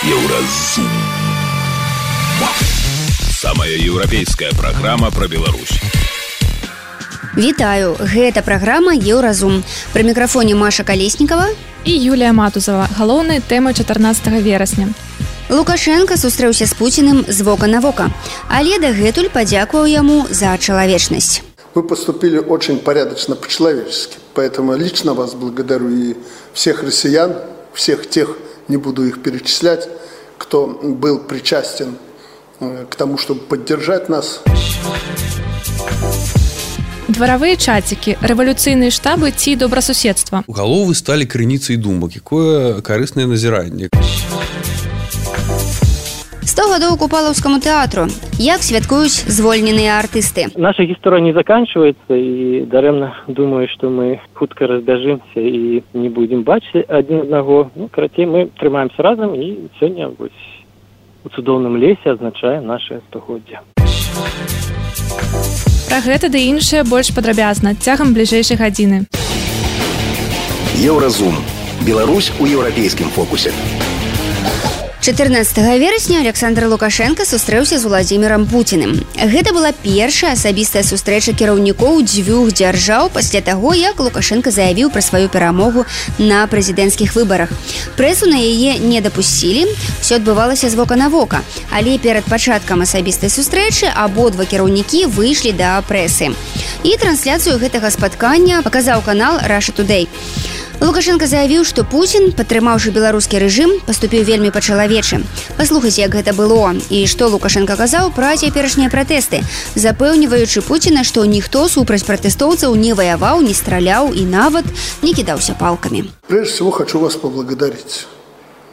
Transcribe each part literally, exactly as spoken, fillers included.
Еўразум. Самая еўрапейская праграма пра Беларусь. Вітаю, гэта праграма Еўразум. Пры мікрафоне Маша Калеснікава і Юлія Матузава. Галоўныя тэмы чатырнаццатага верасня. Лукашенко сустрэўся з Пуціным з вока на вока, але дагэтуль падзякаваў яму за чалавечнасць. Вы поступили очень порядочно, по-человечески, поэтому лично вас благодарю и всех россиян, всех тех, не буду их перечислять, кто был причастен к тому, чтобы поддержать нас. Дворовые чатики, революционные штабы ці добросуседства. Галовы стали крыніцай думак, якое карыснае назіранне. сто гадоў Купалаўскаму тэатру. Як святкуюць звольненыя артысты? Наша гісторыя не заканчивается, и дарэмна думаю, что мы хутка разбяжимся и не будем бачыць адзін аднаго. Ну, карацей, мы трымаемся разом, и сёння вось у цудоўным лесе адзначаем наше стагоддзе. Пра гэта ды іншае больш падрабязна цягам бліжэйшай гадзіны. Еўразум. Беларусь у еўрапейскім фокусе. чатырнаццатага верасня Александр Лукашенко сустрэўся з Владзімірам Пуціным. Гэта была першая асабістая сустрэча кіраўнікоў дзвюх дзяржаў пасля таго, як Лукашенко заявіў пра сваю перамогу на прэзідэнцкіх выбарах. Прэсу на яе не дапусцілі, усё адбывалася з вока на вока, але перад пачаткам асабістай сустрэчы абодва кіраўнікі выйшлі да прэсы. І трансляцыю гэтага спаткання паказаў канал Russia Today. Лукашенко заявіў, што Пуцін, падтрымаўшы беларускі рэжым, паступіў вельмі па-чалавечы. Паслухайце, як гэта было і што Лукашенко казаў пра цяперашнія пратэсты, запэўніваючы Пуціна, што ніхто супраць пратэстоўцаў не ваяваў, не страляў і нават не кідаўся палкамі. Прежде всего хочу вас поблагодарить.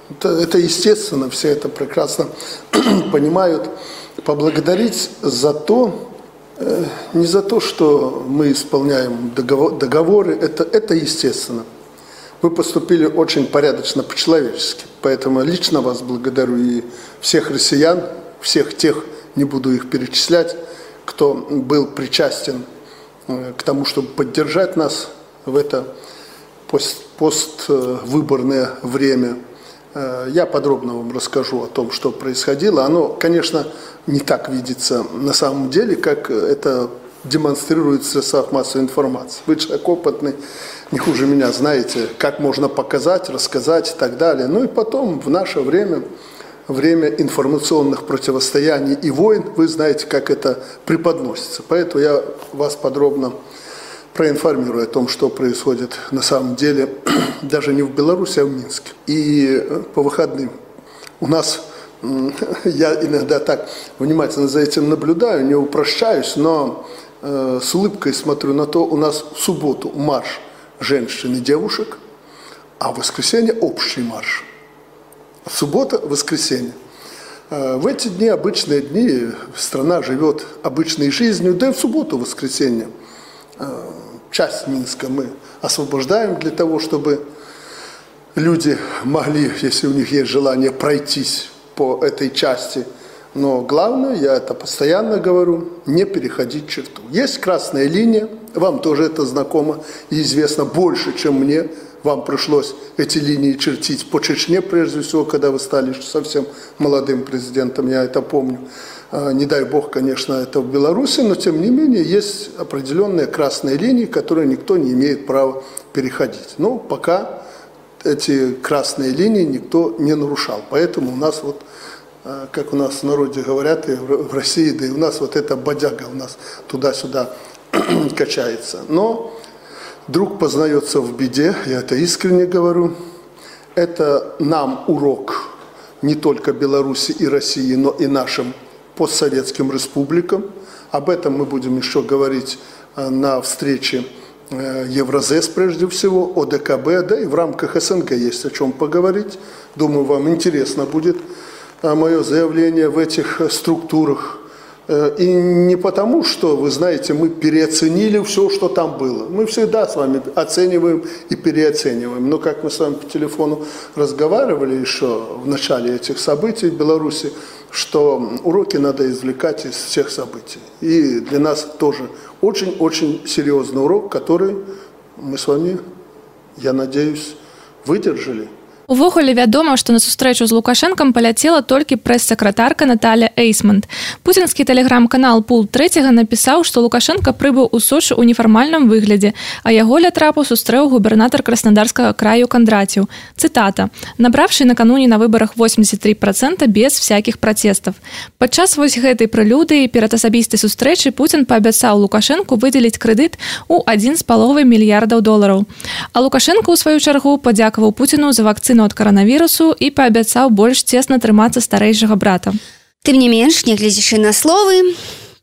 Это, это естественно, все это прекрасно понимают. Поблагодарить за то, э, не за то, что мы исполняем договор, договоры, это, это естественно. Вы поступили очень порядочно, по-человечески, поэтому лично вас благодарю и всех россиян, всех тех, не буду их перечислять, кто был причастен к тому, чтобы поддержать нас в это пост, поствыборное время. Я подробно вам расскажу о том, что происходило. Оно, конечно, не так видится на самом деле, как это демонстрируется в средствах массовой информации. Вы человек опытный, не хуже меня, знаете, как можно показать, рассказать и так далее. Ну и потом, в наше время, время информационных противостояний и войн, вы знаете, как это преподносится. Поэтому я вас подробно проинформирую о том, что происходит на самом деле, даже не в Беларуси, а в Минске. И по выходным у нас, я иногда так внимательно за этим наблюдаю, не упрощаюсь, но э, с улыбкой смотрю на то, у нас в субботу марш женщин и девушек, а в воскресенье общий марш. Суббота, воскресенье. Э, в эти дни, обычные дни, страна живет обычной жизнью, да и в субботу, воскресенье. Э, часть Минска мы освобождаем для того, чтобы люди могли, если у них есть желание, пройтись по этой части. Но главное, я это постоянно говорю, не переходить черту. Есть красная линия, вам тоже это знакомо и известно больше, чем мне. Вам пришлось эти линии чертить по Чечне, прежде всего, когда вы стали совсем молодым президентом, я это помню. Не дай бог, конечно, это в Беларуси, но тем не менее есть определенные красные линии, которые никто не имеет права переходить. Но пока эти красные линии никто не нарушал. Поэтому у нас вот, как у нас в народе говорят, и в России, да и у нас вот эта бодяга у нас туда-сюда качается. Но друг познается в беде, я это искренне говорю. Это нам урок не только Беларуси и России, но и нашим постсоветским республикам. Об этом мы будем еще говорить на встрече Евразес, прежде всего, ОДКБ, да и в рамках СНГ есть о чем поговорить. Думаю, вам интересно будет мое заявление в этих структурах. И не потому, что, вы знаете, мы переоценили все, что там было. Мы всегда с вами оцениваем и переоцениваем. Но как мы с вами по телефону разговаривали еще в начале этих событий в Беларуси, что уроки надо извлекать из всех событий. И для нас тоже очень-очень серьезный урок, который мы с вами, я надеюсь, выдержали. Увогуле вядома, што на сустрэчу з Лукашэнкам паляцела толькі прэс-сакратарка Наталія Эйсманд. Пуцінскі тэлеграм-канал Пул трэцяга напісаў, што Лукашэнка прыбыў у Сочы ў нефармальным выглядзе, а яго ля трапу сустрэў губернатар Краснодарскага краю Кондратьеў. Цытата: «Набравшы накануне на выбарах восемьдесят три процента без всякіх пратэстаў». Падчас вось гэтай прэлюдыі перад асабістай сустрэчай Пуцін паабяцаў Лукашэнку выдзеліць крэдыт у адзін з паловай мільярдаў долараў. А Лукашэнка, у сваю чаргу, падзякаваў Пуціну за вакцыну ад каранавірусу і паабяцаў больш цесна трымацца старэйшага брата. Тым не менш, нягледзячы на словы,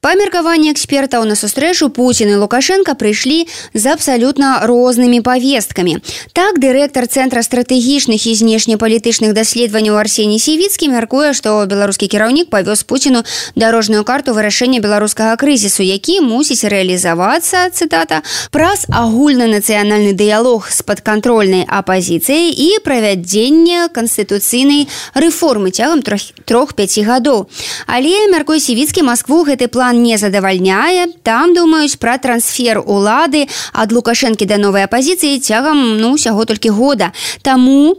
па меркаванні экспертаў, на сустрэчу Пуцін і Лукашэнка прыйшлі з абсалютна рознымі павесткамі. Так, дырэктар Цэнтра стратэгічных і знешнепалітычных даследаванняў Арсеній Сівіцкі мяркуе, што беларускі кіраўнік павёз Пуціну дарожную карту вырашэння беларускага крызісу, які мусіць рэалізавацца, цытата, праз агульнанацыянальны дыялог з падкантрольнай апазіцыяй і правядзенне канстытуцыйнай рэформы цягам трох-пяці гадоў. Але, мяркуе Сівіцкі, Маскву гэты план не задавальняе. Там думаюць пра трансфер улады ад Лукашэнкі да новай апазіцыі цягам, ну, усяго толькі года. Таму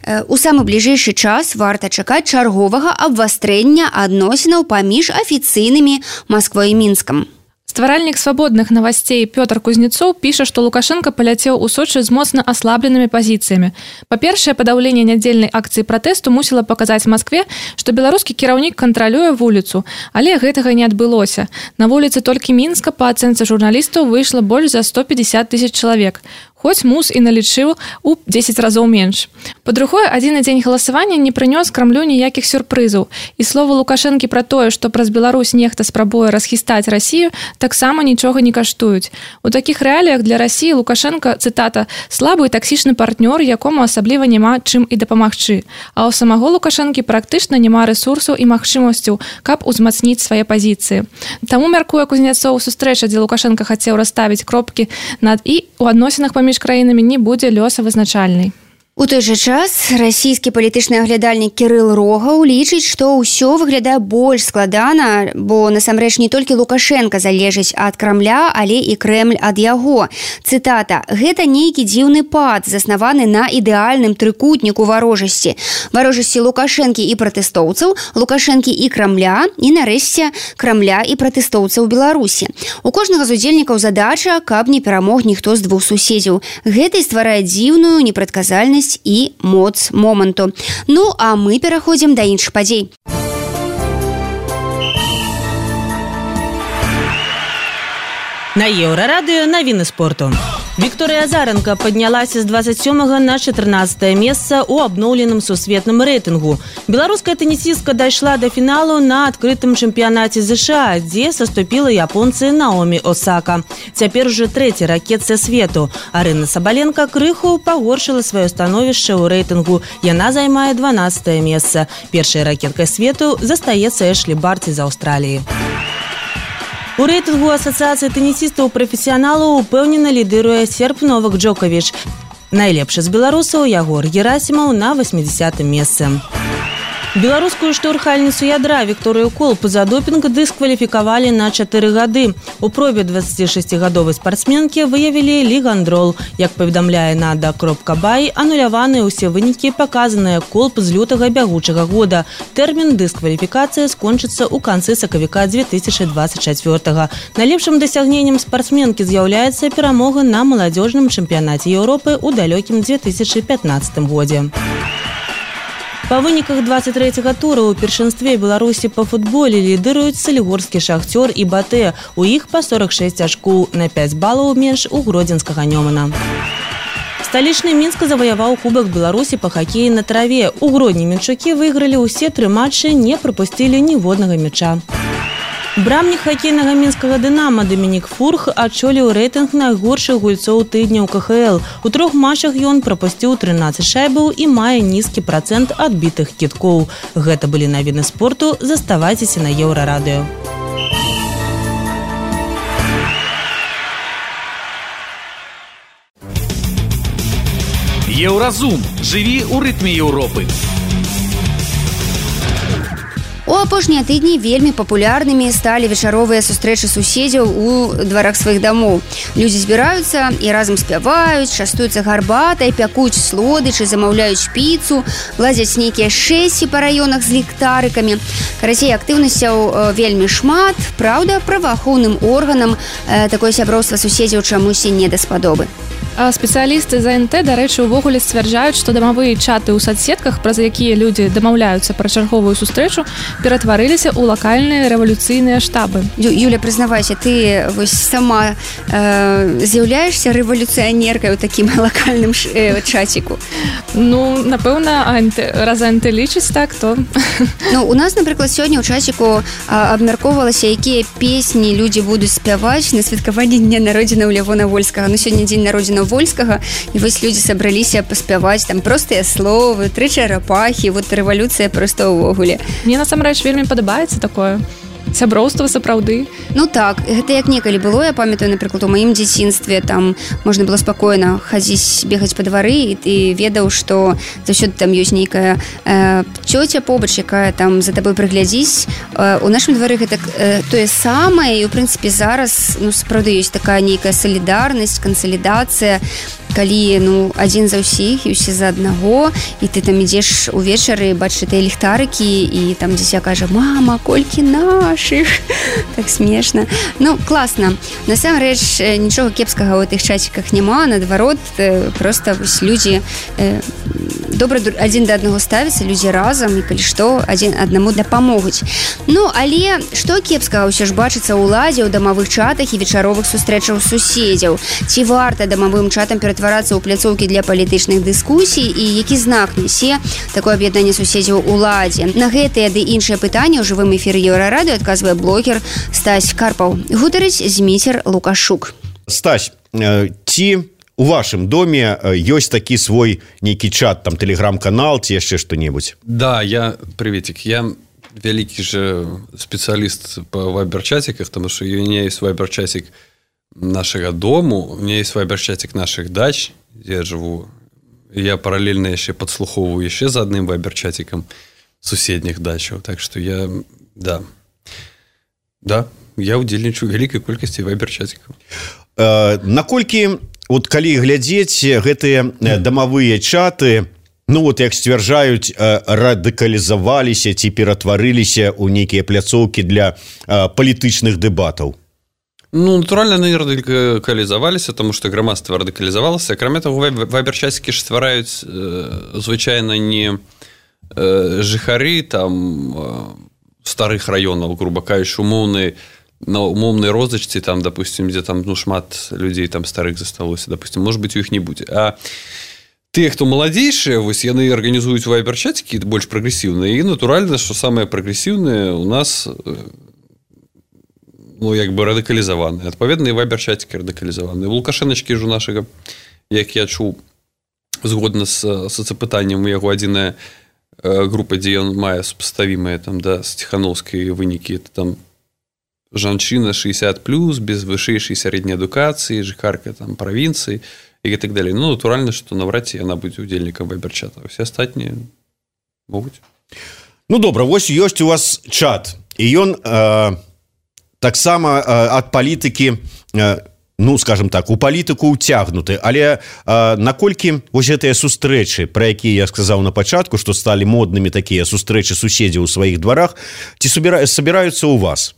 э, у самы бліжэйшы час варта чакаць чарговага абвастрэння адносінаў паміж афіцыйнымі Масквой і Мінскам. Стваральнік свабодных новостей Пётр Кузнецоў піша, што Лукашэнка паляцеў у Сочы з моцна аслабленымі пазіцыямі. Па-першае, падаўленне нядзельнай акцыі пратэсту мусіла паказаць Маскве, што беларускі кіраўнік кантралюе вуліцу, але гэтага не адбылося. На вуліцы толькі Мінска, па ацэнцы журналістаў, выйшла больш за сто пятьдесят тысяч чалавек. Хоць МУС і налічыў у дзесяць разоў менш. Па-другое, адзіны дзень галасавання не прынёс Крамлю ніякіх сюрпрызаў. І слова Лукашэнкі пра тое, што праз Беларусь нехта спрабуе расхістаць Расію, таксама нічога не каштуюць. У такіх рэаліях для Расіі Лукашэнка, цытата, слабы і таксічны партнёр, якому асабліва няма чым і дапамагчы. А ў самого Лукашэнкі практычна няма рэсурсаў і магчымасцяў, каб узмацніць свае пазіцыі. Таму, мяркуе Кузнецоў, сустрэча, дзе Лукашэнка хацеў расставіць кропкі над і у адносінах паміж краінамі не будзе лёсавызначальнай. У той жа час расійскі палітычны аглядальнік Кірыл Рогаў лічыць, што ўсё выглядае больш складана, бо насамрэч не толькі Лукашэнка залежыць ад Крамля, але і Крэмль ад яго. Цытата: «Гэта нейкі дзіўны пад, заснаваны на ідэальным трыкутніку варожасці. Варожасці Лукашэнкі і пратэстоўцаў, Лукашэнкі і Крамля, і нарэшце Крамля і пратэстоўцаў Беларусі. У кожнага з удзельнікаў задача, каб не перамог ніхто з двух суседзяў. Гэта і стварае дзіўную непрадказальнасць і моц моманту». Ну, а мы пераходзім да іншых падзей. На Еўрарадыё навіны спорту. Вікторыя Азаранка паднялася з двадцать сёмага на чатырнаццатае месца ў абноўленым сусветным рэйтынгу. Беларуская тэнісістка дайшла да фіналу на адкрытым чэмпіянаце ЗША, дзе саступіла японцы Наоми Осака. Цяпер ужо трэці ракетцы свету. Арына Сабаленка крыху пагоршыла сваё становішча ў рэйтынгу. Яна займае дванаццатае месца. Першай ракеткай свету застаецца Эшлі Барці з Аўстраліі. У рэйтынгу асацыяцыі тэнісістаў-прафесіяналаў упэўнена лідыруе серб Новак Джоковіч. Найлепшы з беларусаў Ягор Герасімаў на восьмидесятым месцы. Беларускую штурхальніцу ядра Вікторыю Колп за допінг дыскваліфікавалі на чатыры гады. У пробе дваццацігадовай спартсменкі выявілі лігандрол. Як паведамляе Нада кропка бай, ануляваныя ўсе вынікі, паказаныя Колп з лютага бягучага года. Тэрмін дыскваліфікацыі скончыцца ў канцы сакавіка две тысячы двадцать чацвёртага. Найлепшым дасягненнем спартсменкі з'яўляецца перамога на маладзёжным чэмпіянаце Еўропы ў далёкім две тысячы пятнаццатым годзе. Па выніках двадцать трэцяга тура ў першынстве Беларусі па футболе лідыруюць Салігорскі Шахцёр і Батэ. У іх па сорок шэсць ачкоў, на пяць балаў менш у гродзенскага Нёмана. Сталічны Мінск заваяваў Кубак Беларусі па хакеі на траве. У Гродні мінчукі выйгралі ўсе тры матчы, не прапусцілі ніводнага мяча. Брамнік хакейнага мінскага «Дынама» Дамінік Фурх адчоліў рэйтынг найгоршых гульцоў тыдня ў ка ха эл. У трох матчах ён прапусціў трынаццаць шайбаў і мае нізкі працэнт адбітых кідкоў. Гэта былі навіны спорту. Заставайцеся на Еўрарадыё. Еўразум. Жыві ў рытме Еўропы. У апошнія тыдні вельмі папулярнымі сталі вечаровыя сустрэчы суседзяў у дварах сваіх дамоў. Людзі збіраюцца і разам спяваюць, частуюцца гарбатай, пякуць слодычы, замаўляюць піцу, ладзяць нейкія шэсці па раёнах з ліхтарыкамі. Карацей, актыўнасцяў вельмі шмат. Праўда, праваахоўным органам такое сяброўства суседзяў чамусьці не даспадобы. А спецыялісты з АНТ, дарэчы, увогуле сцвярджаюць, што дамавыя чаты ў соцсетках, праз якія людзі дамаўляюцца пра чарговую сустрэчу, ператварыліся ў лакальныя рэвалюцыйныя штабы. Ю, Юля, прызнавайся, ты вось сама э, з'яўляешся рэвалюцыянеркай у такім лакальным ш, э, чаціку? Ну, напэўна, АНТ, раз АНТ лічыць так, то... Ну, у нас, напрыклад, сёння ў чаціку абмяркоўвалася, якія песні людзі будуць спяваць на святкаванні дня народзінаў Лявона Вольскага. Ну, сёння дзень народзінаў Вольскага, і вось людзі сабраліся паспяваць там простыя словы, тры чарапахі, вот рэвалюцыя проста ўвогуле. Мне насамрэч вельмі падабаецца такое сяброўства сапраўды. Ну так, гэта як некалі было, я памятаю, напрыклад, у маім дзяцінстве там можна было спакойна хадзіць, бегаць па двары, і ты ведаў, што заўсёды там ёсць нейкая э, цёця побач, якая там за табой прыглядзіць. Э, у нашым двары гэта э, тое самае, і ў прынцыпе зараз ну сапраўды ёсць такая нейкая салідарнасць, кансалідацыя, калі ну адзін за ўсіх і ўсе за аднаго, і ты там ідзеш увечары, бачыш тыя ліхтарыкі, і там дзіця кажа: мама, колькі нашых. Так смешна. Ну, класна. Насамрэч, нічога кепскага ў тых чаціках няма, наадварот, проста вось людзі э, добра адзін да аднаго ставяцца, людзі разам, і калі што, адзін аднаму дапамогуць. Ну, але што кепскага ўсё ж бачыцца ўладзе ў дамавых чатах і вечаровых сустрэчаў суседзяў? Ці варта дамавым чатам ператварацца ў пляцоўкі для палітычных дыскусій, і які знак нясе такое аб'яднанне суседзяў уладзе? На гэтыя ды іншыя пытанні ў жывым эфіры Еўрарадыё адказвае блогер Стась Карпаў. Гутарыць Зміцер Лукашук. Стась, ці у вашым доме ёсць такі свой нейкі чат, там тэлеграм-канал ці яшчэ што-небудзь? Да, я, приветик, я вялікі же спецыяліст па вайбер-чатиках, потому что у меня есть вайбер-чатик нашего дому, у меня есть вайбер-чатик наших дач, где я живу. Я параллельно еще подслуховываю еще за одним вайбер-чатиком суседних дачаў. Так что я, да, да, я удзельнічаю вялікай колькасці вайбер-чатикаў. Э, наколькі, вот калі глядзець гэтыя дамавыя чаты, ну вот як сцвярджаюць, радыкалізаваліся ці ператварыліся ў нейкія пляцоўкі для палітычных дэбатаў? Ну, натуральна, яны радыкалізаваліся, тому што грамадства радыкалізавалася. Акрамя таго, вайбер-чатікі ж ствараюць э, звычайна не э, жыхары там э, старых раёнаў, грубо кажучы, умоўныя на умоўнай розачцы, там, допустим, дзе там ну, шмат людзей там старых засталося, допустим, может быть, у іх не будзе. А тыя, хто маладзейшыя, вось яны арганізуюць вайбер-чатікі больш прагрэсіўныя, і натуральна, што самыя прагрэсіўныя у нас ну, як бы радыкалізаваныя. Адпаведна, і вайбер-чатікі радыкалізаваныя. У Лукашэначкі ж у нашага, як я чуў, згодна з соцапытаннем у яго адзіная група, дзе ён мае супаставімыя там, да, з Ціхановскай вынікі, это там жанчына шэсцьдзесят плюс, без вышэйшай сярэдняй адукацыі, жыхарка там правінцыі і так далее. Ну, натуральна, што наврад ці яна будзе удзельнікам вайбер-чата. Усе астатнія могуць. Ну, добра, вось ёсць у вас чат, і ён э, таксама э, ад палітыкі э, ну, скажем так, у палітыку ўцягнуты, але э, наколькі вось гэтыя сустрэчы, пра якія я сказаў на пачатку, што сталі моднымі такія сустрэчы суседзяў у сваіх дварах, ці собираюцца у вас?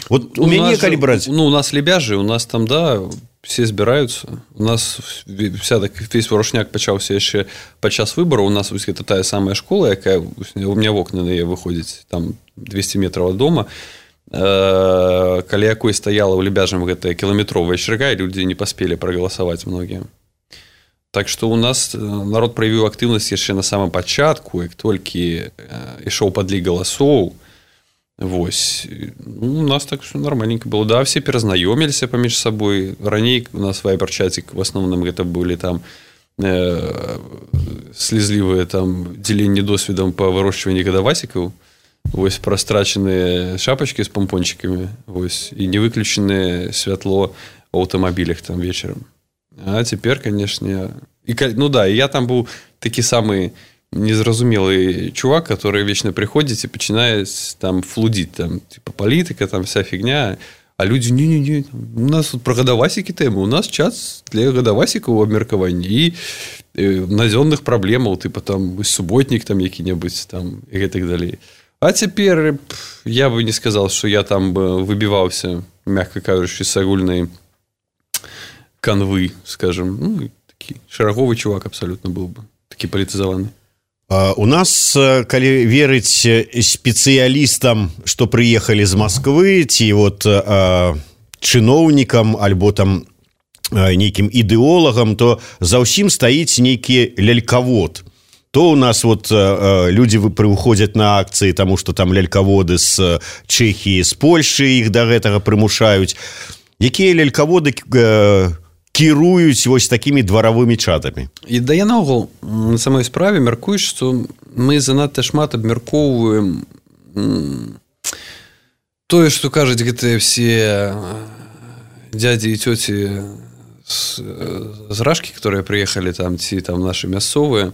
Вот у, у мяне, калі браць... Ну, у нас лебяжы, у нас там, да, все збіраюцца. У нас вся так, весь варушняк пачаўся яшчэ падчас выбараў. У нас вось гэта тая самая школа, якая у меня в окна на яе выходзіць, там двести метров ад дома. Каля якой стаяла ў лебяжам гэтая кіламетровая чарга, і людзі не паспелі прагаласаваць многія. Так што у нас народ праявіў актыўнасць яшчэ на самым пачатку, як толькі ішоў падлік галасоў. Вось. Ну, у нас так нармальненько было. Да, все перазнаёміліся паміж сабой. Раней у нас вайбер-чатик, в основном гэта былі там э, слезлівыя там дзеленні досведам па вырошчванні гадавасікаў. Вось прастрачаныя шапачкі з помпончикамі, вось, і не выключанае святло ў аўтамабілях там вечарам. А цяпер, канешне, і, ну да, я там быў такі самы незразумелый чувак, который вечно приходит и начинает там флудить, там, типа, политика, там, вся фигня. А люди, не-не-не, у нас тут про гадавасікі тэмы, у нас час для гадавасікаў абмеркавання і наземных праблемаў, типа, там, субботник там які-небудзь, там, и так далее. А теперь я бы не сказал, что я там бы выбивался, мягко кажучи, с огульной канвы, скажем. Ну, такой шараговый чувак абсолютно был бы, таки политизованный. У нас, калі верыць спецыялістам, што прыехалі з Масквы, ці вот чыноўнікам альбо там нейкім ідэолагам, то за ўсім стаіць нейкі лялькавод. То у нас вот людзі прыходзяць на акцыі, таму што там лялькаводы з Чэхіі, з Польшы іх да гэтага прымушаюць. Якія лялькаводы кіруюць вось такімі дваравымі чатамі? І да я наогул на самой справе мяркую, што мы занадта шмат абмяркоўваем тое, што кажуць гэтыя все дядзі і цёці з, з Рашкі, которые прыехалі там, ці там нашы мясцовыя,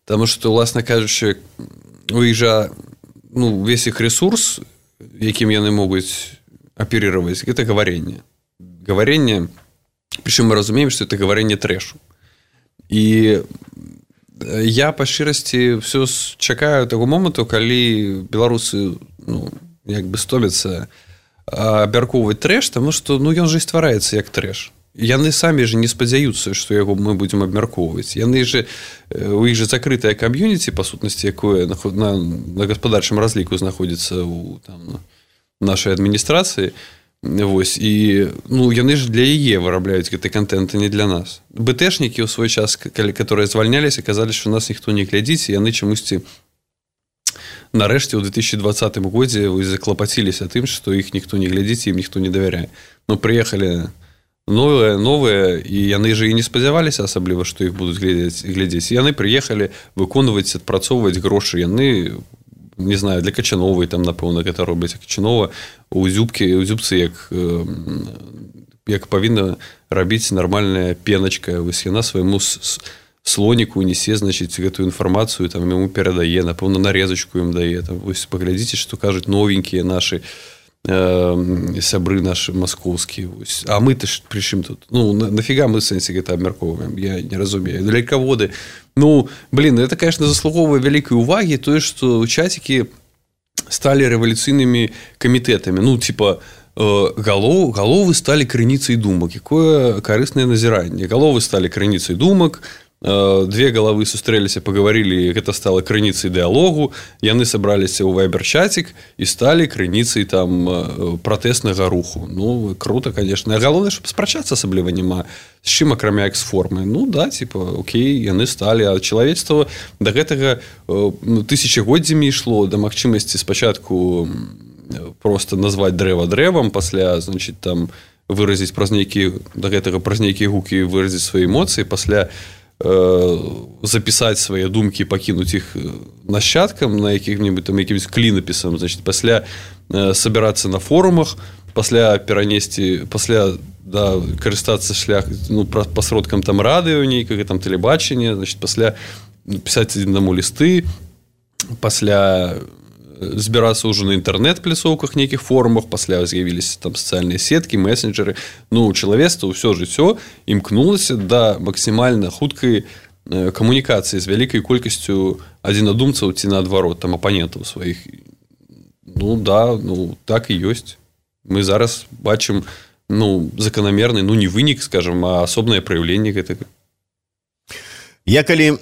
таму што, уласна кажучы, у іх жа, ну, весь іх ресурс, якім яны могуць аперировать, гэта гаваренне. Гаваренне. Причем мы разумеем, что это говорение трэшу. И я по шчырасці все чакаю таго моманту, калі беларусы, ну, як бы стомяцца абмяркоўваць трэш, тому что, ну, ён же і ствараецца як трэш. Яны самі же не спадзяюцца, што яго мы будзем абмяркоўваць. Яны же, у іх же закрытая кам'юніці, па сутнасці, якое на, на, на гаспадарчым разліку знаходзіцца ў там, нашай адміністрацыі. Вось, і, ну, яны ж для яе вырабляюць гэты контент, а не для нас. БТшнікі ў свой час, калі, которые звальняліся, казалі, што нас ніхто не глядзіць, і яны чамусьці нарэшце ў две тысячи двадцатым годзе заклапаціліся тым, што іх ніхто не глядзіць, ім ніхто не давяряе. Ну, прыехалі новыя, новыя, і яны же і не спадзяваліся асабліва, што іх будуць глядзець, глядзець. Яны прыехалі выконваць, адпрацоўваць грошы, яны, не знаю, для Качановой там, напэўна, гэта робяць. Качанова у зюбкі, у зюбцы як, як павінна рабіць нармальная пеначка. Вось яна свайму слоніку несе, значыць, гэтую інфармацыю, там яму перадае, напэўна, нарезачку ім дае. Там, вось паглядзіце, што кажуць новенькія нашы э, сябры нашы маскоўскія. Вось. А мы-то ж прычым тут? Ну, на, нафіга мы в сэнсе гэта абмяркоўваем? Я не разумею. Лялькаводы. Ну, блин, это, конечно, заслуговывает великой уваги, то, что чатики стали революционными комитетами. Ну, типа, э, голов, головы стали крыніцай думак. Какое корыстное назирание. Головы стали крыніцай думак, э, две головы сустрэліся, поговорили, это стало крыніцай диалогу, яны собраліся ў вайбер-чатик и стали крыніцай там э, протестнага руху. Ну, круто, конечно. А галоўнае, чтобы спрачацца асабліва няма. З чым, акрамя экс-формы? Ну, да, типа, окей, яны сталі. А чалавецтва да гэтага ну, тысячагоддзямі ішло, да магчымасці спачатку просто назваць дрэва дрэвам, пасля, значит, там, выразіць праз нейкі, да гэтага праз нейкія гукі выразіць свае эмоцыі, пасля э, запісаць свае думкі, пакінуць іх нашчадкам на якіх-небудзь там якімсь клінапісам, значит, пасля э, сабірацца на форумах, пасля перанесці, пасля да, карыстацца шлях, ну, па сродкам там радыё нейкага, там тэлебачання, значит, пасля пісаць аднаму лісты, пасля збірацца ўжо на інтэрнэт-пляцоўках, нейкіх форумах, пасля з'явіліся там сацыяльныя сеткі, месенджеры. Ну, чалавецтва ўсё жыццё імкнулася да максімальна хуткай камунікацыі з вялікай колькасцю адзінадумцаў ці наадварот, там апанентаў сваіх. Ну, да, ну, так і ёсць. Мы зараз бачым, ну, закономерный, ну, не вынік, скажем, а асобнае праяўленне гэтага. Я калі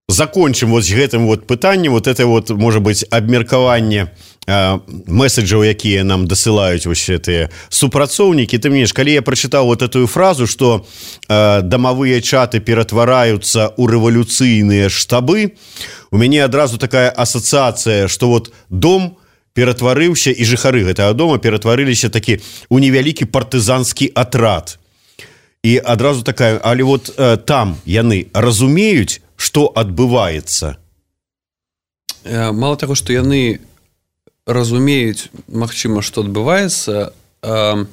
закончым вот з гэтым вот пытаннем, вот это вот, можа быць, абмеркаванне э, месседжаў, якія нам дасылаюць вось гэтыя супрацоўнікі. Ты мне ж, калі я прачытаў вот эту фразу, што э, дамавыя чаты ператвараюцца ў рэвалюцыйныя штабы, у мяне адразу такая асацыяцыя, што вот дом ператварыўся, і жыхары гэтага дома ператварыліся такі ў невялікі партызанскі атрад. І адразу такая, але вот э, там яны разумеюць, што адбываецца? Мало таго, што яны разумеюць, магчыма, што адбываецца, а,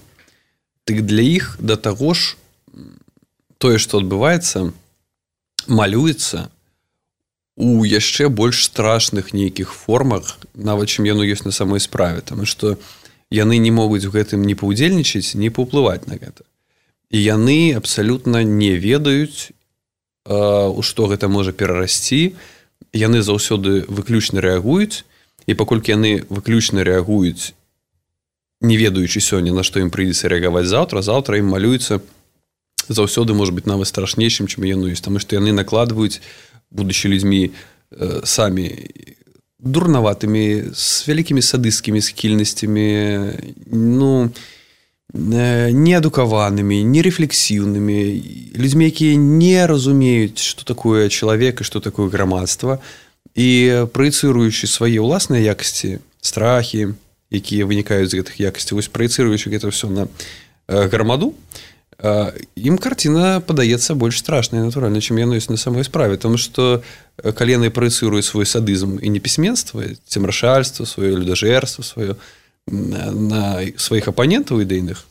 так для іх да таго ж тое, што адбываецца, малюецца у яшчэ больш страшных нейкіх формах, нават чым яно ёсць на самой справе, таму што яны не могуць у гэтым ні паўдзельнічаць, ні паўплываць на гэта. І яны абсалютна не ведаюць, у што гэта можа перарасці. Яны заўсёды выключна рэагуюць, і паколькі яны выключна рэагуюць, не ведаючы сёння, на што ім прыйдзецца рэагаваць заўтра, заўтра ім малюецца заўсёды можа быць нават страшнейшым, чым яно ёсць, таму што яны накладваюць, будучы людзьмі э, самі дурнаватымі, з вялікімі садысцкімі схільнасцямі, ну, э, неадукаванымі, нерефлексіўнымі, людзьмі, якія не разумеюць, што такое чалавек і што такое грамадства, і праецыруючы свае ўласныя якасці, страхі, якія вынікаюць з гэтых якасцей, вось праецыруючы гэта ўсё на э, грамаду, ім карціна падаецца больш страшная, натуральна, чым яно ёсць на самой справе, тому што калі яны праецыруюць свой садызм і непісьменства, цемрашальства, сваё людажэрства, сваё на сваіх апанентаў ідэйных,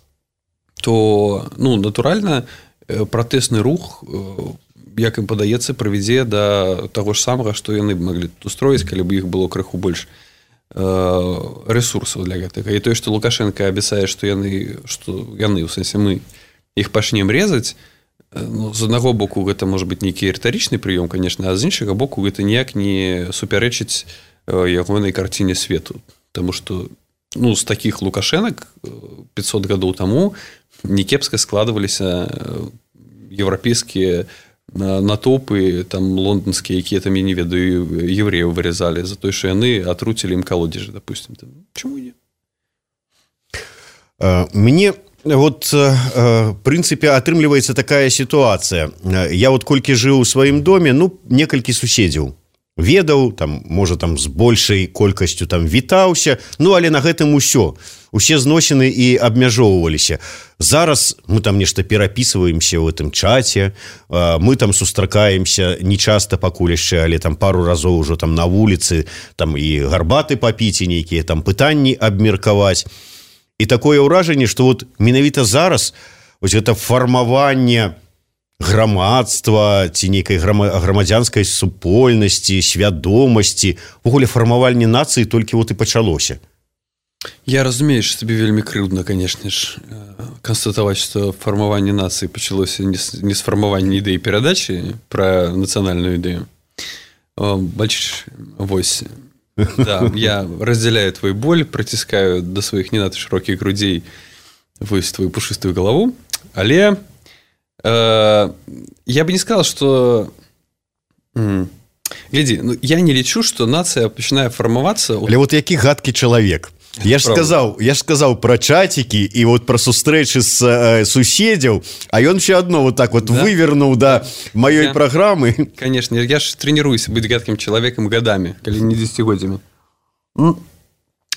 то, ну, натуральна, пратэсны рух, як ім падаецца, прывядзе да таго ж самага, што яны б маглі тут устроіць, калі б іх было крыху больш рэсурсаў для гэтага. І тое, што Лукашенко абяцае, што яны, што яны, у сэнсе мы, іх пачнем резаць, ну, з аднаго боку гэта можа быць нейкі рытарычны прыём, конечно, а з іншага боку гэта ніяк не супярэчыць ягонай карціне свету, таму што, ну, з такіх Лукашэнак пятьсот гадоў таму некепска складваліся еўрапейскія натоўпы, там лонданскія, якія там, я не ведаю, евреяў вырезалі за тое, што яны атруцілі ім калодзежы, допустим. Чаму не? Мне вот, в прынцыпе, атрымліваецца такая сітуацыя. Я вот колькі жыў у сваім доме, ну, некалькі суседзяў ведаў, там, можа, там, з большай колькасцю там вітаўся, ну, але на гэтым усё. Усе зносіны і абмяжоўваліся. Зараз мы там нешта перапісваемся ў гэтым чаце, мы там сустракаемся не часта пакуль яшчэ, але там пару разоў ужо там на вуліцы, там і гарбаты папіць, і нейкія там пытанні абмеркаваць. І такое ўражанне, што вот менавіта зараз вось гэта фармаванне грамадства ці нейкай грамадзянскай супольнасці, свядомасці, вогуле фармаванне нацыі толькі вот і пачалося. Я разумею, што тебе вельмі крыўдна, конечно ж, канстатаваць, што фармаванне нацыі пачалося не з фармавання ідэі перадачы пра нацыянальную ідэю. Бачыш, вось... Да, я разделяю твой боль, притискаю до своих не надо широких грудей вось твою пушистую голову, але э, я бы не сказал, что м- гляди, ну, я не лічу, что нация начинает формоваться. Але вот які гадкі чалавек. Я ж сказаў, я ж сказаў пра чацікі і вот пра сустрэчы з э, суседзяў, а ён ще адно вот так вот да? вывернуў да маёй я... праграмы. Конечно, я ж тренируюся быць гадкім чалавекам гадамі, калі не дзесяцігоддзямі. Ну,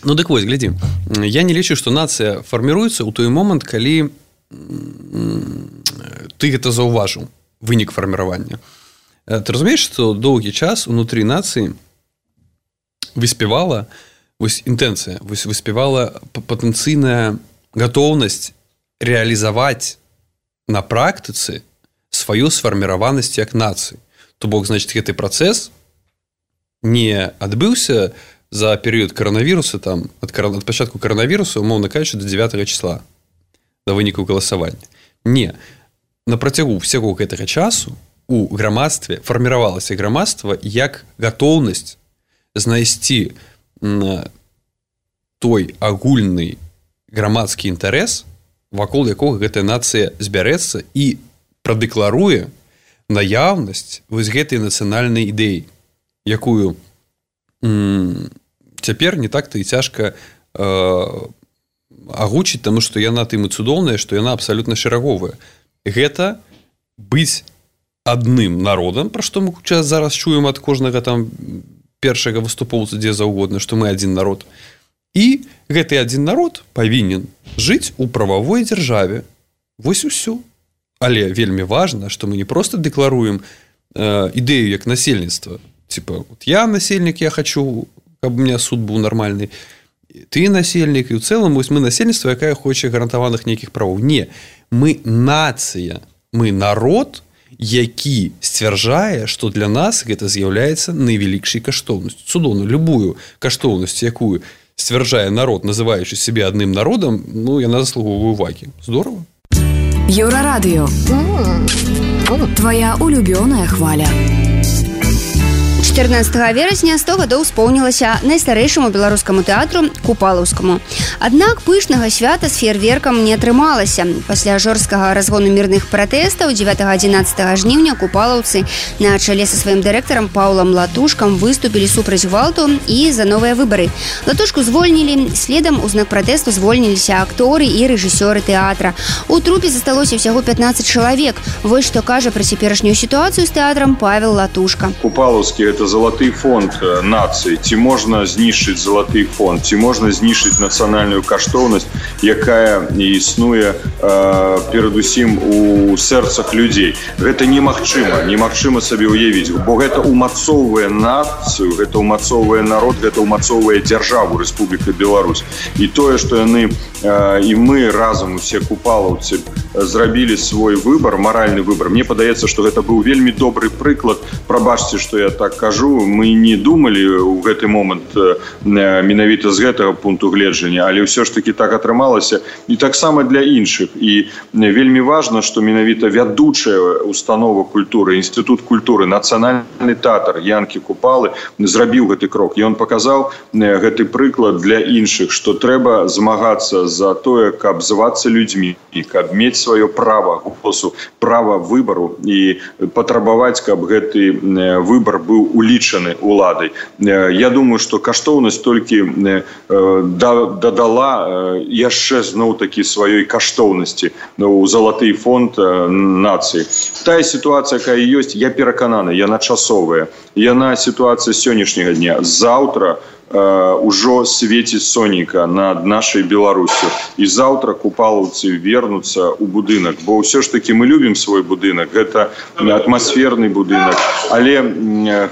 ну дык вось, глядзі. Я не лічу, што нацыя фарміруецца ў той момант, калі ты гэта заўважыў, вынік фарміравання. Ты разумееш, што доўгі час унутры нацыі выспявала вось інтэнцыя, вось выспявала патэнцыйная гатоўнасць рэалізаваць на практыцы сваю сфарміраванасць як нацыі. То бок, значит, гэты працэс не адбыўся за перыяд каранавіруса, там, ад, ад пачатку каранавіруса, умоўна кажучы, до дзевятага числа, да вынікаў галасавання. Не. На працягу ўсяго гэтага часу у грамадстве фарміравалася грамадства як гатоўнасць знайсці той агульны грамадскі інтарэс, вакол якога гэтая нацыя збярэцца і прадэкларуе наяўнасць вось гэтай нацыянальнай ідэі, якую м- цяпер не так-то і цяжка э- агучыць, таму што яна тым і цудоўная, што яна абсалютна шэраговая. Гэта быць адным народам, пра што мы зараз чуем ад кожнага там першага выступоўца дзе заўгодна, што мы адзін народ. І гэты адзін народ павінен жыць у прававой дзяржаве. Вось усё. Але вельмі важна, што мы не проста дэкларуем э, ідэю як насельніцтва. Типа, вот я насельнік, я хочу, каб у меня суд быў нармальны. Ты насельнік, і ў цэлым вось мы насельніцтва, якая хоча гарантаваных нейкіх правоў. Не, мы нацыя, мы народ, які сцвярджае, што для нас гэта з'яўляецца найвялікшай каштоўнасцю. Цудоўна, любую каштоўнасць, якую сцвярджае народ, называючы сябе адным народам, ну, яна заслугоўвае увагі. Здорава. Еўрарадыё. Твоя улюбёная хваля. чатырнаццатага верасня сто гадоў споўнілася найстарэйшаму беларускаму тэатру Купалаўскаму. Аднак пышнага свята з феерверкам не атрымалася. Пасля жорсткага разгону мірных пратэстаў дзевятага-адзінаццатага жніўня купалаўцы на чале са сваім дырэктарам Паўлам Латушкам выступілі супраць гвалту і за новыя выбары. Латушку звольнілі, следам у знак пратэсту звольніліся акторы і рэжысёры тэатра. У трупе засталося ўсяго пятнаццаць чалавек. Вось што кажа пра цяперашнюю сітуацыю з тэатрам Павел Латушка. Купалаўскі это залаты фонд нацыі. Ці можна знішчыць залаты фонд, ці можна знішчыць нацыянальную каштоўнасць, якая існуе э, перадусім у сэрцах людзей. Гэта немагчыма, немагчыма сабе ўявіць, бо гэта умацоўвае нацыю, гэта умацоўвае народ, гэта умацоўвае дзяржаву Рэспубліка Беларусь. І тое, што яны э, і мы разам усе купалаўцы зрабілі свой выбар, маральны выбар. Мне падаецца, што гэта быў вельмі добры прыклад. Прабачце, што я так кажу, мы не думалі ў гэты момант менавіта з гэтага пункту гледжання, але ўсё ж таки так атрымалася і таксама для іншых. І вельмі важна, што менавіта вядучая установа культуры, інстытут культуры, нацыянальны тэатр Янкі Купалы зрабіў гэты крок. І ён паказаў гэты прыклад для іншых, што трэба змагацца за тое, каб звацца людзьмі, каб мець сваё права голосу, права выбару і патрабаваць, каб гэты выбар быў улічаны уладай. Я думаю, што каштоўнасць толькі дадала яшчэ зноў-такі сваёй каштоўнасці у залаты фонд нацыі. Тая сітуацыя, якая ёсць, я перакананы, яна часовая. Яна сітуацыя сённяшняга дня. Заўтра ўжо свеціць сонейка над нашай Беларусю. І заўтра купалаўцы вернуцца ў будынак, бо ўсё ж такі мы любім свой будынак, гэта атмасферны будынак, але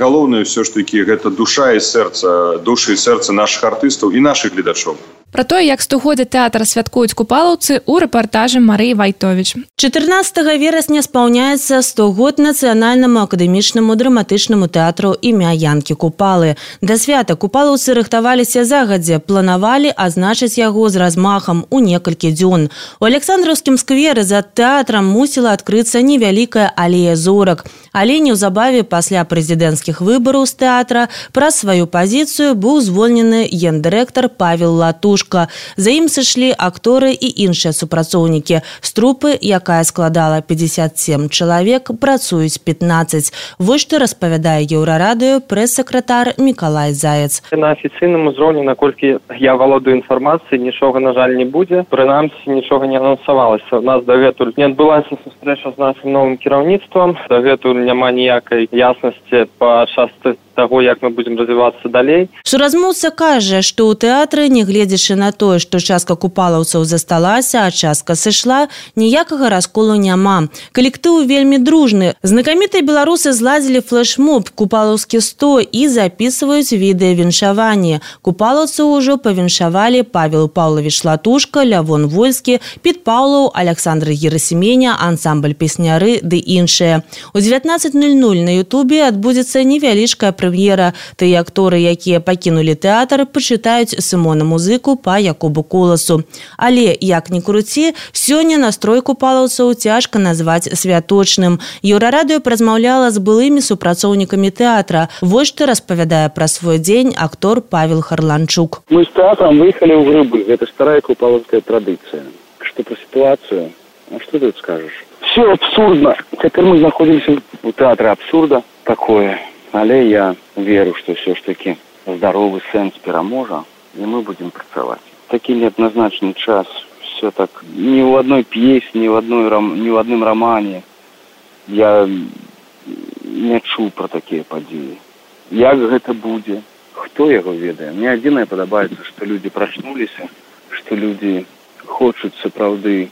галоўнае ўсё ж такі гэта душа і сэрца, душы і сэрца нашых артыстаў і нашых гледачоў. Пра тое, як стагоддзе тэатра святкуюць купалаўцы ў рэпартажы Марыі Вайтовіч. чатырнаццатага верасня спаўняецца сто год Нацыянальнаму акадэмічнаму драматычнаму тэатру імя Янкі Купалы. Да свята купалаўцы рыхтаваліся загадзя, планавалі адзначыць яго з размахам у некалькі дзён. У Александраўскім скверы за тэатрам мусіла адкрыцца невялікая алея зорак. Але неўзабаве пасля прэзідэнцкіх выбараў з тэатра праз сваю пазіцыю быў звольнены гендырэктар Павел Латушка. За ім сышлі акторы і іншыя супрацоўнікі. З трупы, якая складала пятьдесят семь чалавек, працуюць пятнаццаць. Вось што распавядае Еўрарадыё прэс-сакратар Мікалай Заяц. На афіцыйным узроўні, наколькі я валодаю інфармацыяй, нічога, на жаль, не будзе. Прынамсі, нічога не анансавалася. У нас дагэтуль не адбылася сустрэча з нашым новым кіраўніцтвам. Дагэтуль няма ніякай яснасці па частцы таго, як мы будзем развівацца далей. Суразмоўца кажа, што ў тэатры, нягледзячы на тое, што частка купалаўцаў засталася, а частка сышла, ніякага расколу няма. Калектыў вельмі дружны. Знакамітыя беларусы зладзілі флэшмоб «Купалаўскі сто» і запісваюць відэавіншаванне. Купалаўцаў ужо павіншавалі Павел Паўлавіч Латушка, Лявон Вольскі, Піт Паўлаў, Александр Герасіменя, ансамбль песняры ды іншыя. У дзевятнаццаць ноль ноль на Ютубе адбудзецца невялічкая прэм'ера. Тыя акторы, якія пакінулі тэатр, пачытаюць Сымона музыку па Якубу Коласу. Але, як ні круці, сёння настрой купалаўцаў цяжка назваць святочным. Еўрарадыё празмаўляла з былымі супрацоўнікамі тэатра. Вось што распавядае пра свой дзень актор Павел Харланчук. Мы з тэатрам выехалі ў грыбы. Гэта старая купалаўская традыцыя. Што пра сітуацыю? А што тут скажаш? Все абсурдна. Цяпер мы знаходзімся ў тэатры абсурда такое. Але я веру, што ўсё ж такі здаровы сэнс пераможа, і мы будзем працаваць. Такі неадназначны час, все так, ні ў адной п'есе, ні ў адной ні ў адным рамане я не чуў пра такія падзеі. Як гэта будзе? Хто яго ведае? Мне адзінае падабаецца, што людзі прачнуліся, што людзі хочуць сапраўды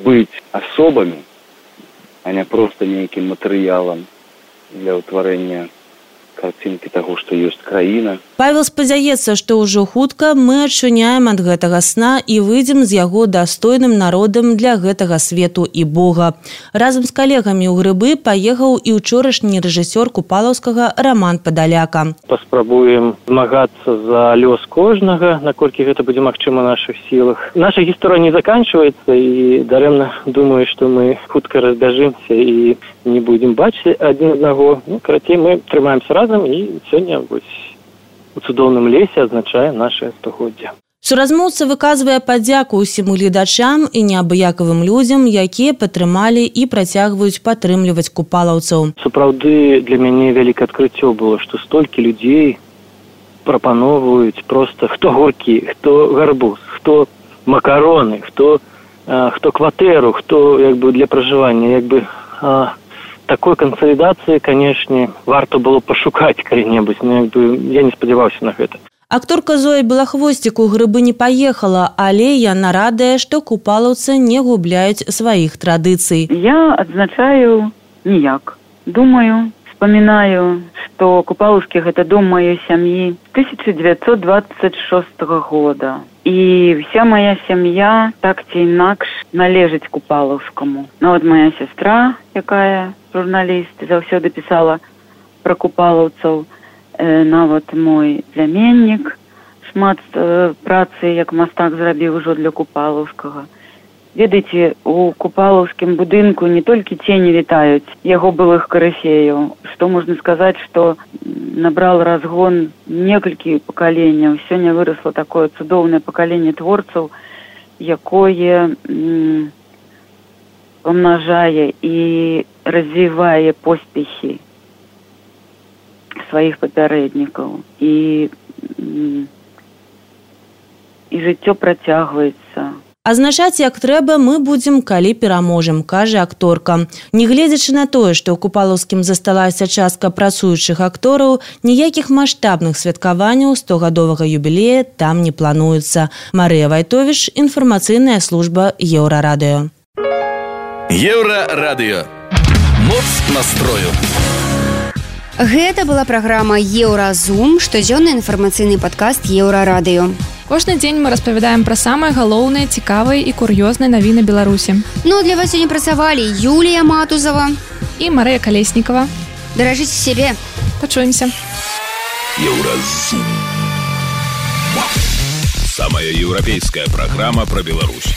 быць асобамі, а не проста нейкім матэрыялам для ўтварэння карцінкі таго, што ёсць краіна. Павел спадзяецца, што ўжо хутка мы адчыняем ад гэтага сна і выйдзем з яго дастойным народам для гэтага свету і Бога. Разам з калегамі ў Грыбы паехаў і ўчорашні рэжысёр купалаўскага Роман Падаляка. Паспрабуем змагацца за лёс кожнага, наколькі гэта будзе магчыма ў нашых сілах. Наша гісторыя не заканчваецца, і дарэмна думаю, што мы хутка разбяжымся і не будзем бачыць адзін аднаго. Ну, карацей, мы трымаемся разам, і сёння вось у цудоўным лесе адзначае наше стагоддзе. Суразмоўца выказвае падзяку ўсім гледачам і неабыякавым людзям, якія падтрымалі і працягваюць падтрымліваць купалаўцаў. Сапраўды для мяне вялікае адкрыццё было, што столькі людзей прапаноўваюць проста хто горкі, хто гарбуз, хто макароны, хто, а, хто кватэру, хто як бы для пражывання, як бы а, такой кансалідацыі, канешне, варта было пашукаць калі-небудзь, но як бы я не спадзяваўся на гэта. Акторка Зоя Белахвосцік у Грыбы не паехала, але яна радая, што купалаўцы не губляюць сваіх традыцый. Я адзначаю ніяк. Думаю, вспоминаю, что Купаловский – это дом моей семьи тысяча девятьсот двадцать шестого года. И вся моя семья так ці інакш належить Купаловскому. Ну вот моя сестра, якая журналист, заўсёды писала про купаловцаў. Нават мой пляменнік шмат працы як мастак зрабіў ужо для Купалаўскага. Ведаеце, у купалаўскім будынку не толькі цені вітаюць яго былых карыфеяў, што можна сказаць, што набрал разгон некалькі пакаленняў. Сёння вырасла такое цудоўнае пакаленне творцаў, якое м, памнажае і развівае поспехі сваіх папярэднікаў, і, і жыццё працягваецца. Азначаць, як трэба, мы будзем, калі пераможам, кажа акторка. Нягледзячы на тое, што ў Купалаўскім засталася частка працуючых актораў, ніякіх маштабных святкаванняў стогадовага юбілея там не плануецца. Марыя Вайтовіч, інфармацыйная служба Еўрарадыё. Еўрарадыё. Моц настрою. Гэта была праграма «Еўразум», штодзённы інфармацыйны падкаст Еўрарадыё. Кожны дзень мы распавядаем пра самыя галоўныя, цікавыя і кур'ёзныя навіны Беларусі. Ну, для вас сёння працавалі Юлія Матузова і Марыя Калеснікава. Даражыце сябе. Пачуемся. Еўразум. Самая еўрапейская праграма пра Беларусь.